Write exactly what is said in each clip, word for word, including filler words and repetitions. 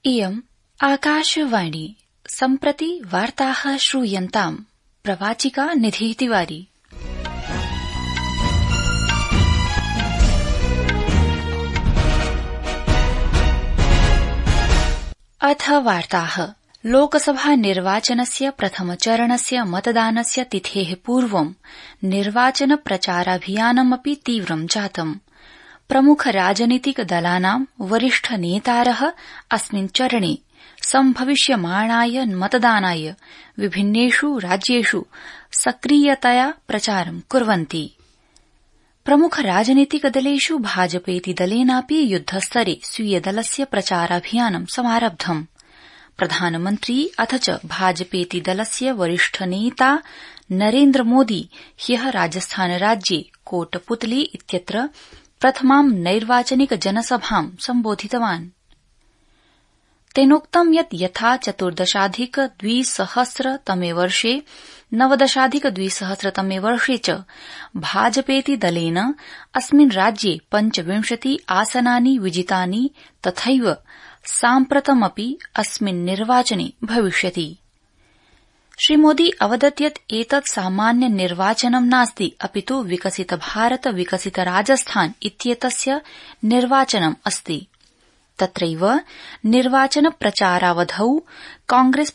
इयम् आकाशवाणी सम्प्रति वार्ताः श्रूयन्ताम्। प्रवाचिका निधि तिवारी। अथ वार्ताः। लोकसभा निर्वाचनस्य प्रथमचरणस्य मतदानस्य तिथेः पूर्वं निर्वाचन प्रचाराभियानमपि तीव्रं जातम्। प्रमुख राजनीतिक दलानां वरिष्ठ नेतारः अस्मिन् चरणे सम्भविष्यमाणाय मतदानाय विभिन्नेषु राज्येषु सक्रियतया प्रचारं कुर्वन्ति। प्रमुख राजनीतिक दलेषु भाजपेति दलेनापि युद्धस्तरे स्वीयदलस्य प्रचाराभियानं समारब्धम्। प्रधानमन्त्री अथ च भाजपेति दलस्य वरिष्ठ नेता नरेन्द्र मोदी ह्यः राजस्थान राज्ये कोटपुतली इत्यत्र प्रथमां नैर्वाचनिक जनसभां सम्बोधितवान्। तेनोक्तं यत् यथा चतुर्दशाधिक द्विसहस्रतमे वर्षे नवदशाधिक द्विसहस्रतमे वर्षे च भाजपेति दलेन अस्मिन् राज्ये पञ्चविंशति आसनानि विजितानि तथैव साम्प्रतमपि अस्मिन् निर्वाचने भविष्यति। श्रीमोदी अवदत् यत् एतत् सामान्य निर्वाचनं नास्ति, अपितु विकसित भारत विकसित राजस्थान इत्येतस्य निर्वाचनम् अस्ति। तत्रैव निर्वाचन प्रचारावधौ कांग्रेस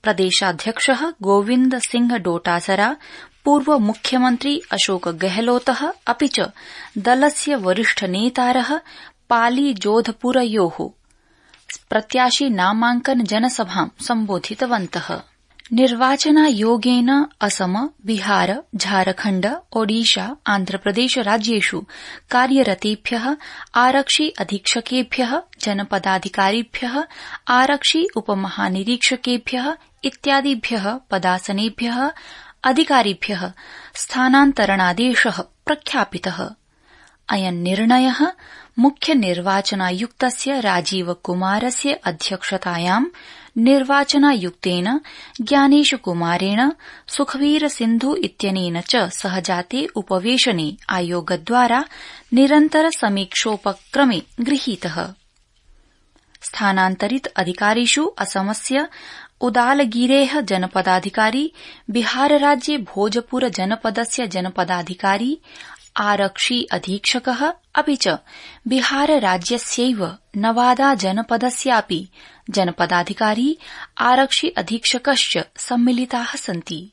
प्रदेशाध्यक्षः गोविन्द सिंह डोटासरा, पूर्व मुख्यमन्त्री अशोक गहलोतः अपि च दलस्य वरिष्ठ नेतारः पाली जोधपुरयोः प्रत्याशी नामांकन जनसभां सम्बोधितवन्तः। निर्वाचनायोगेन असम, बिहार, झारखण्ड, ओडिशा, आन्ध्रप्रदेश राज्येषु कार्यरतेभ्यः आरक्षि अधीक्षकेभ्यः, जनपदाधिकारिभ्यः, आरक्षि उपमहानिरीक्षकेभ्यः इत्यादिभ्यः पदासनेभ्यः अधिकारिभ्यः स्थानान्तरणादेशः प्रख्यापितः। अयं निर्णयः मुख्य निर्वाचनायुक्तस्य राजीव कुमारस्य अध्यक्षतायां निर्वाचनायुक्तेन ज्ञानेश कुमारेण सुखवीर सिन्धु इत्यनेन च सह जाते उपवेशने आयोगद्वारा निरन्तर समीक्षोपक्रमे गृहीतः। स्थानान्तरित अधिकारिषु असमस्य उदालगिरेः जनपदाधिकारी, बिहारराज्ये भोजपुर जनपदस्य जनपदाधिकारी, आरक्षि अधीक्षकः अपि च बिहारराज्यस्यैव नवादा जनपदस्यापि जनपदाधिकारी, आरक्षि अधीक्षकश्च सम्मिलिताः सन्ति।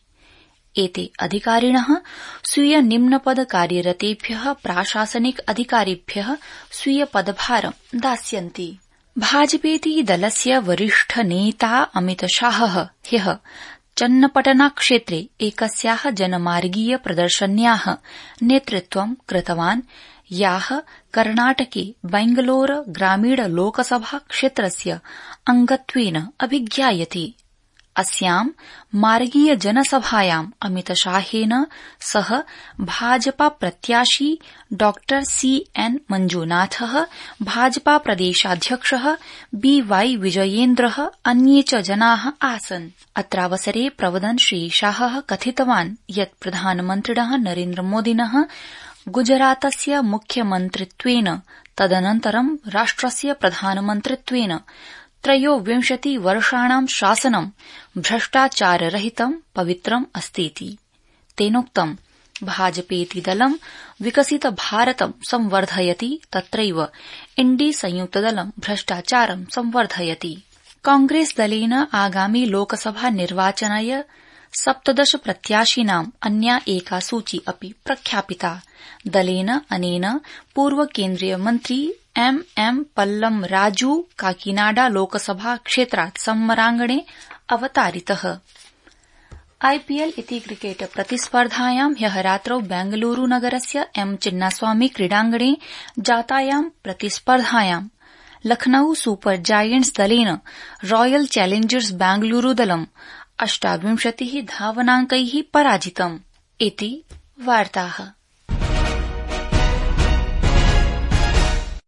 एते अधिकारिणः स्वीय निम्नपद कार्यरतेभ्यः प्राशासनिक अधिकारिभ्यः स्वीय पदभारं दास्यन्ति। भाजपेति दलस्य वरिष्ठ नेता अमित शाहः ह्यः चन्नपटना क्षेत्रे एकस्याः जनमार्गीय प्रदर्शन्याः नेतृत्वं कृतवान्, याः कर्णाटके बैंगलोर ग्रामीण लोकसभा क्षेत्रस्य अंगत्वेन अभिज्ञायते। अस्यां मार्गीय जनसभायां अमित शाहेन सह भाजपा प्रत्याशी डॉ सी एन मंजूनाथः, भाजपा प्रदेशाध्यक्षः बी वाई विजयेन्द्रः, अन्ये च जनाः आसन्। अत्रावसरे प्रवदन् श्री शाहः कथितवान् यत् प्रधानमन्त्रिणः नरेन्द्र मोदिनः गुजरातस्य मुख्यमन्त्रित्वेन तदनन्तरं राष्ट्रस्य प्रधानमन्त्रित्वेन त्रयोविंशति वर्षाणां शासनं भ्रष्टाचाररहितं पवित्रम् अस्तीति। तेनोक्तं भाजपेति दलं विकसित भारतं संवर्धयति, तत्रैव इण्डी संयुक्तदलं भ्रष्टाचारं संवर्धयति। कांग्रेस दलेन आगामि लोकसभा निर्वाचनाय सप्तदश प्रत्याशिनां अन्या एका सूची अपि प्रख्यापिता। दलेन अनेन पूर्व केन्द्रीय मन्त्री एम एम पल्लम राजू काकीनाडा लोकसभा क्षेत्रात् सम्मरांगणे अवतारितः। आईपीएल इति क्रिकेट प्रतिस्पर्धायां ह्यः रात्रौ बेंगलुरू नगरस्य एम चिन्नास्वामी क्रीडाङ्गणे जातायां प्रतिस्पर्धायां लखनऊ सुपर जायंट्स दलेन रॉयल चैलेंजर्स बेंगलुरू दलं अष्टाविंशतिः धावनांकैः पराजितम्। इति वार्ताः।